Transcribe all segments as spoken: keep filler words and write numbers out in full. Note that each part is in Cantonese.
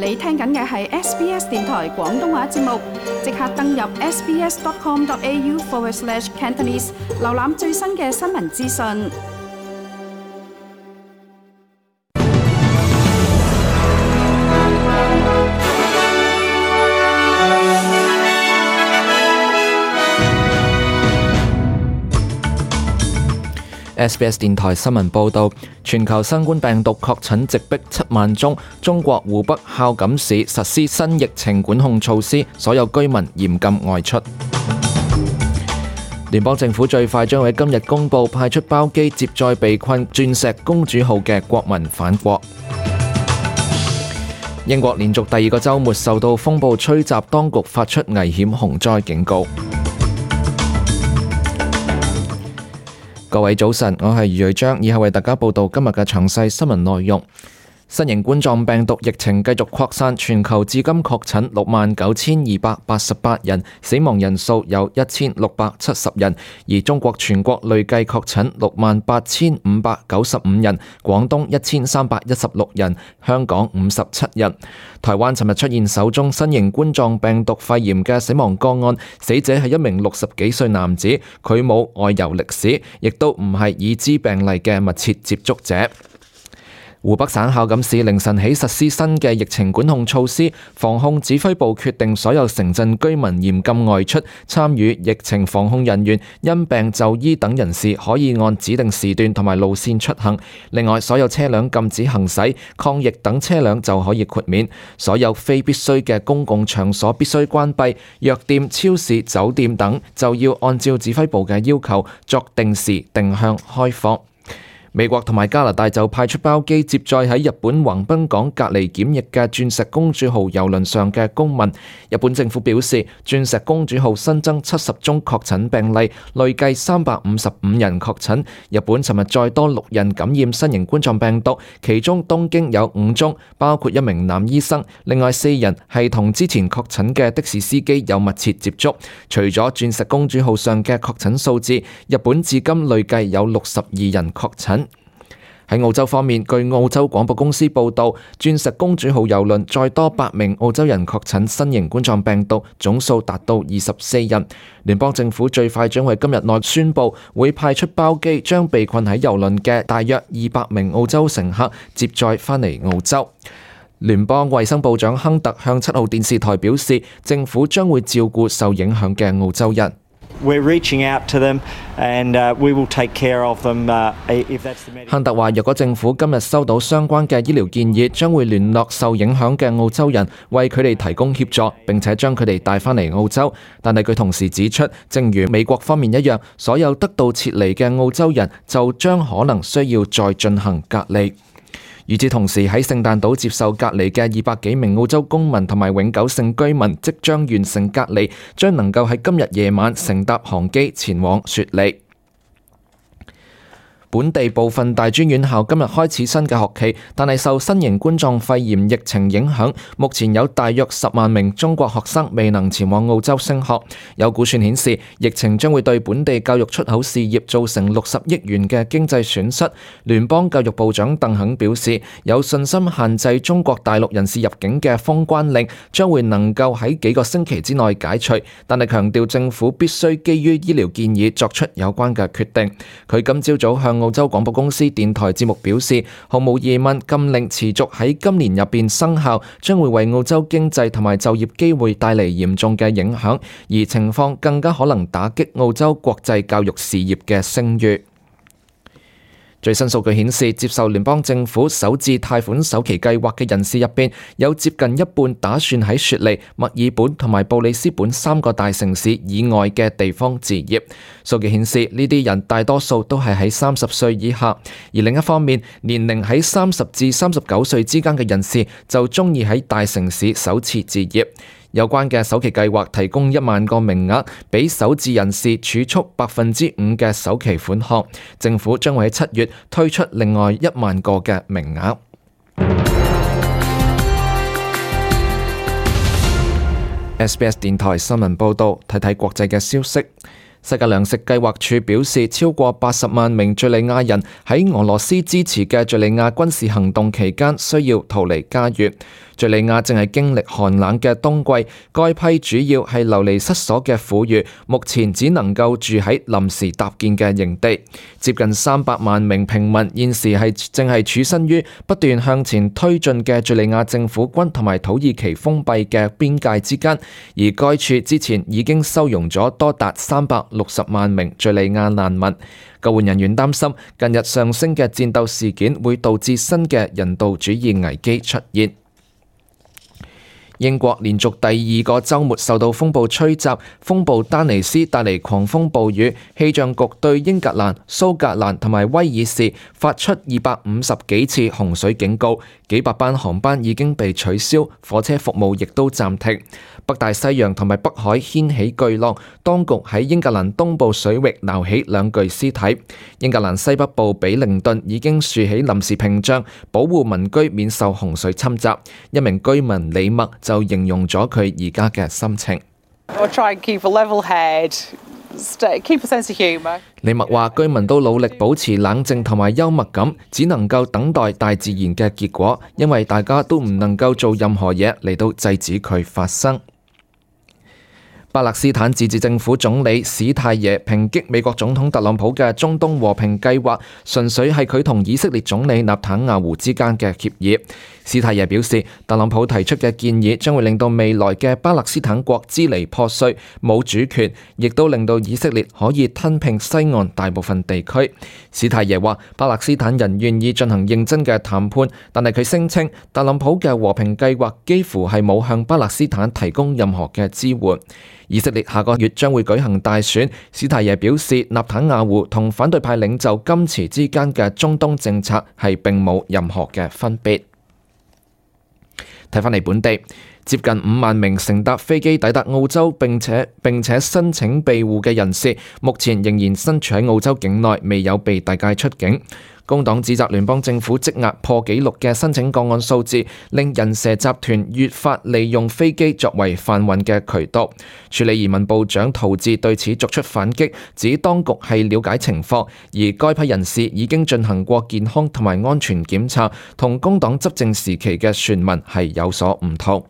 你聽緊嘅係 S B S 電台廣東話節目，即刻登入 sbs.com.au forward slash Cantonese， 瀏覽最新嘅新聞資訊。S B S 電台新聞報導，全球新冠病毒確診直逼七萬宗，中國湖北孝感市實施新疫情管控措施，所有居民嚴禁外出。聯邦政府最快將喺今日公佈派出包機接載被困鑽石公主號嘅國民返國。英國連續第二個週末受到風暴吹襲，當局發出危險洪災警告。各位早晨，我係余瑞章，以後為大家報道今日嘅詳細新聞內容。新型冠狀病毒疫情繼續擴散，全球至今確診六萬九千二百八十八人，死亡人數有一千六百七十人。而中國全國累計確診六萬八千五百九十五人，廣東一千三百一十六人，香港五十七人。台灣尋日出現首宗新型冠狀病毒肺炎嘅死亡個案，死者係一名六十幾歲男子，佢冇外遊歷史，亦都唔係已知病例嘅密切接觸者。湖北省孝感市凌晨起實施新嘅疫情管控措施，防控指揮部決定所有城鎮居民嚴禁外出，參與疫情防控人員、因病就醫等人士可以按指定時段同埋路線出行。另外，所有車輛禁止行駛，抗疫等車輛就可以豁免。所有非必須嘅公共場所必須關閉，藥店、超市、酒店等就要按照指揮部嘅要求作定時定向開放。美國同埋加拿大就派出包機接載喺日本橫濱港隔離檢疫嘅鑽石公主號郵輪上嘅公民。日本政府表示，鑽石公主號新增七十宗確診病例，累計三百五十五人確診。日本尋日再多六人感染新型冠狀病毒，其中東京有五宗，包括一名男醫生，另外四人係同之前確診嘅的，的士司機有密切接觸。除咗鑽石公主號上嘅確診數字，日本至今累計有六十二人確診。喺澳洲方面，據澳洲廣播公司報導，鑽石公主號郵輪再多八名澳洲人確診新型冠狀病毒，總數達到二十四人。聯邦政府最快將喺今日內宣布，會派出包機將被困喺郵輪嘅大約二百名澳洲乘客接載返嚟澳洲。聯邦衛生部長亨特向七號電視台表示，政府將會照顧受影響嘅澳洲人。We're reaching out to them and we will take care of them if that's the medical. 亨特話：若果政府今日收到相關嘅醫療建議，將會聯絡受影響嘅澳洲人，為佢哋提供協助，並且將佢哋帶返嚟澳洲。但係佢同時指出，正如美國方面一樣，所有得到撤離嘅澳洲人就將可能需要再進行隔離。與此同時，喺聖誕島接受隔離嘅二百幾名澳洲公民同埋永久性居民即將完成隔離，將能夠喺今日夜晚乘搭航機前往雪梨。本地部分大專院校今日開始新嘅學期，但係受新型冠狀肺炎疫情影響，目前有大約十萬名中國學生未能前往澳洲升學。有估算顯示，疫情將會對本地教育出口事業造成六十億元嘅經濟損失。聯邦教育部長鄧肯表示，有信心限制中國大陸人士入境嘅封關令將會能夠喺幾個星期之內解除，但係強調政府必須基於醫療建議作出有關嘅決定。佢今朝早向澳洲廣播公司電台節目表示，毫無疑問，禁令持續喺今年入邊生效，將會為澳洲經濟同埋就業機會帶嚟嚴重嘅影響，而情況更加可能打擊澳洲國際教育事業嘅聲譽。最新數據顯示，接受聯邦政府首置貸款首期計劃嘅人士入邊，有接近一半打算喺雪梨、墨爾本同埋布里斯本三個大城市以外嘅地方置業。數據顯示，呢啲人大多數都係喺三十歲以下，而另一方面，年齡喺三十至三十九歲之間嘅人士就鍾意喺大城市首次置業。有關嘅首期計劃提供一萬個名額，俾首置人士儲蓄百分之五嘅首期款項。政府將會喺七月推出另外一萬個嘅名額。S B S 電台新聞報導，睇睇國際嘅消息。世界糧食計劃署表示，超過八十萬名敘利亞人喺俄羅斯支持嘅敘利亞軍事行動期間需要逃離家園。敘利亞正係經歷寒冷嘅冬季，該批主要係流離失所嘅婦孺，目前只能夠住喺臨時搭建嘅營地。接近三百萬名平民現時係正係處身於不斷向前推進嘅敘利亞政府軍同埋土耳其封閉嘅邊界之間，而該處之前已經收容咗多達三百六十萬名敘利亞難民。救援人員擔心近日上升嘅戰鬥事件會導致新嘅人道主義危機出現。英國連續第二個週末受到風暴吹襲，風暴丹尼斯帶嚟狂風暴雨，氣象局對英格蘭、蘇格蘭同埋威爾士發出二百五十幾次洪水警告，幾百班航班已經被取消，火車服務亦都暫停。北大西洋同埋北海掀起巨浪，當局喺英格蘭東部水域撈起兩具屍體。英格蘭西北部比靈頓已經豎起臨時屏障，保護民居免受洪水侵襲。一名居民李默就形容咗佢而家嘅心情。李默話：居民都努力保持冷靜同埋幽默感，只能夠等待大自然嘅結果，因為大家都唔能夠做任何嘢嚟到制止佢發生。巴勒斯坦自治政府總理史泰耶抨擊美國總統特朗普嘅中東和平計劃，純粹係佢同以色列總理納坦雅胡之間嘅協議。史泰耶表示，特朗普提出嘅建議將會令到未來嘅巴勒斯坦國支離破碎，冇主權，亦都令到以色列可以吞併西岸大部分地區。史泰耶話，巴勒斯坦人願意進行認真嘅談判，但係佢聲稱特朗普嘅和平計劃幾乎係冇向巴勒斯坦提供任何嘅支援。以色列下個月將會舉行大選，史泰耶表示，納坦雅胡同反對派領袖甘茨之間嘅中東政策係並冇任何嘅分別。睇返嚟本地，接近五萬名乘搭飛機抵達澳洲並且並且申請庇護嘅人士，目前仍然身處喺澳洲境內，未有被遞解出境。工黨指責聯邦政府積壓破紀錄嘅申請個案數字，令人蛇集團越發利用飛機作為販運嘅渠道。處理移民部長陶治對此作出反擊，指當局係了解情況，而該批人士已經進行過健康同埋安全檢查，同工黨執政時期嘅傳聞係有所唔同。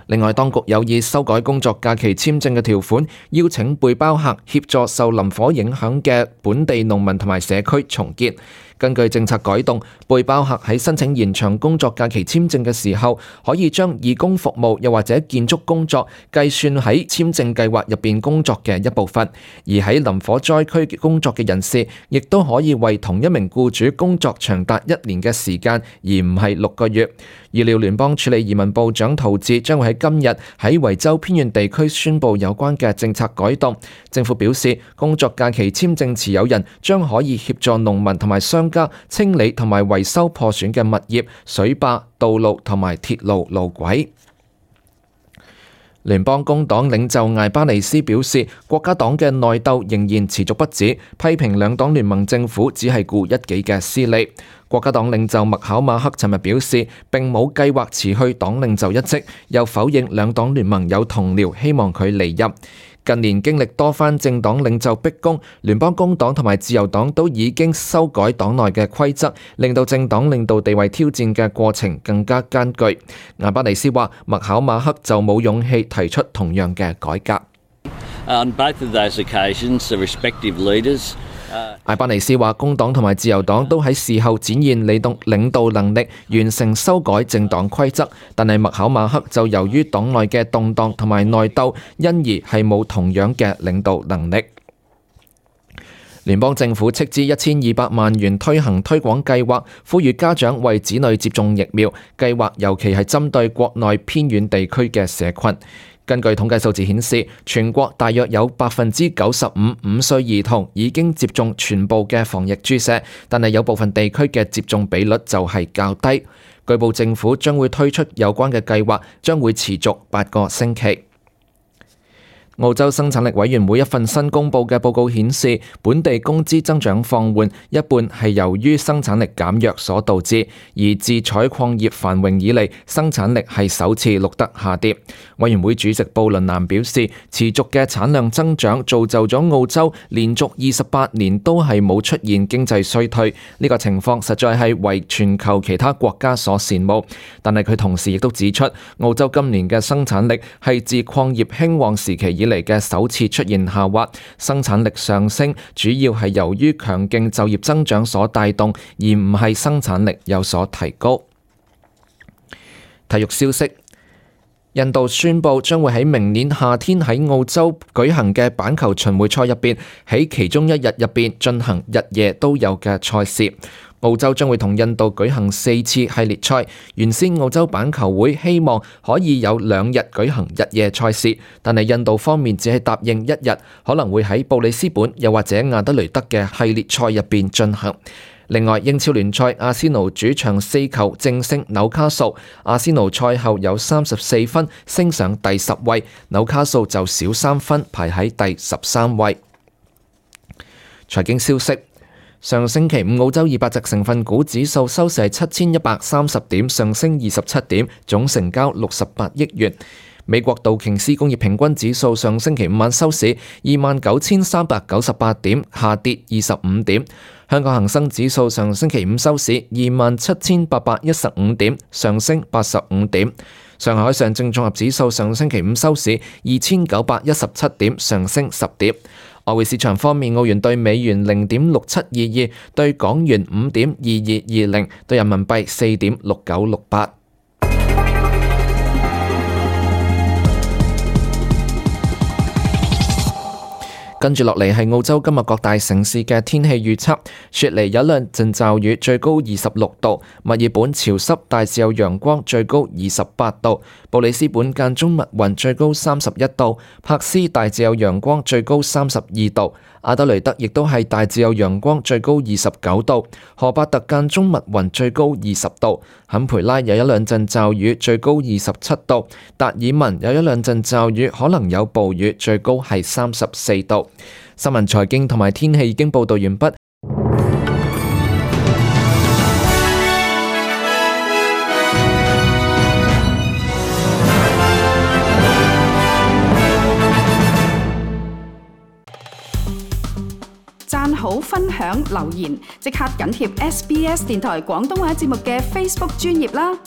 另外，當局有意修改工作假期簽證嘅條款，邀請背包客協助受林火影響嘅本地農民同埋社區重建。根據政策改動，背包客喺申請延長工作假期簽證嘅時候，可以將義工服務又或者建築工作計算喺簽證計劃入邊工作嘅一部分。而喺林火災區工作嘅人士，亦都可以為同一名僱主工作長達一年嘅時間，而唔係六個月。預料聯邦處理移民部長陶治將會喺今日喺維州偏遠地區宣布有關嘅政策改動。政府表示，工作假期簽證持有人將可以協助農民同埋商家清理同埋維修破損嘅物業、水壩、道路同埋鐵路路軌。聯邦工黨領袖艾巴尼斯表示，國家黨嘅內鬥仍然持續不止，批評兩黨聯盟政府只係顧一己嘅私利。國家黨領袖麥考馬克尋日表示，並冇計劃辭去黨領袖一職，又否認兩黨聯盟有同僚希望佢離任。近年經歷多番政黨領袖逼宮，聯邦工黨同埋自由黨都已經修改黨內嘅規則，令到政黨領導地位挑戰嘅過程更加艱巨。艾巴尼斯話，麥考馬克就冇勇氣提出同樣嘅改革。On both of those occasions, the respective leaders艾巴尼斯話，工黨同埋自由黨都喺事後展現領導領導能力，完成修改政黨規則，但係麥考馬克就由於黨內嘅動盪同埋內鬥，因而係冇同樣嘅領導能力。聯邦政府斥資一千二百萬元推行推廣計劃，呼籲家長為子女接種疫苗。計劃尤其係針對國內偏遠地區嘅社群。根據統計數字顯示，全國大約有百分之九十五五歲兒童已經接種全部嘅防疫注射，但係有部分地區嘅接種比率就係較低。據報政府將會推出有關嘅計劃，將會持續八個星期。澳洲生產力委員會一份新公佈嘅報告顯示，本地工資增長放緩，一半係由於生產力減弱所導致，而自採礦業繁榮以嚟，生產力係首次錄得下跌。委員會主席布倫南表示，持續嘅產量增長造就咗澳洲連續二十八年都係冇出現經濟衰退，呢個情況實在係為全球其他國家所羨慕。但係佢同時亦都指出，澳洲今年嘅生產力係自礦業興旺時期以嚟嘅首次出現下滑，生產力上升主要係由於強勁就業增長所帶動，而唔係生產力有所提高。體育消息，印度宣布將會喺明年夏天喺澳洲舉行嘅板球巡迴賽入邊，喺其中一日入邊進行日夜都有嘅賽事。澳洲將會同印度舉行四次系列賽，原先澳洲板球會希望可以有兩日舉行日夜賽事，但係印度方面只係答應一日，可能會喺布里斯本又或者亞德雷德嘅系列賽入邊進行。另外，英超聯賽阿仙奴主場四球正勝紐卡素，阿仙奴賽後有三十四分，升上第十位，紐卡素就少三分，排喺第十三位。財經消息。上星期五，澳洲二百隻成分股指數收市係七千一百三十點，上升二十七點，總成交六十八億元。美國道瓊斯工業平均指數上星期五晚收市二萬九千三百九十八點，下跌二十五點。香港恒生指數上星期五收市二萬七千八百一十五點，上升八十五點。上海上證綜合指數上星期五收市二千九百一十七點，上升十點。外匯市場方面，澳元對美元零點六七二二，對港元五點二二二零，對人民幣四點六九六八。跟住落嚟係澳洲今日各大城市嘅天氣預測。雪梨有兩陣驟雨，最高二十六度；墨爾本潮濕，大致有陽光，最高二十八度；布里斯本間中密雲，最高三十一度；柏斯大致有陽光，最高三十二度；阿德雷德亦都係大致有陽光，最高二十九度；荷伯特間中密雲，最高二十度；坎培拉有一兩陣驟雨，最高二十七度；達爾文有一兩陣驟雨，可能有暴雨，最高係三十四度。新聞、財經同埋天氣已經報道完畢。讚好、分享、留言，即刻緊貼 S B S 電台廣東話節目嘅 Facebook 專頁啦！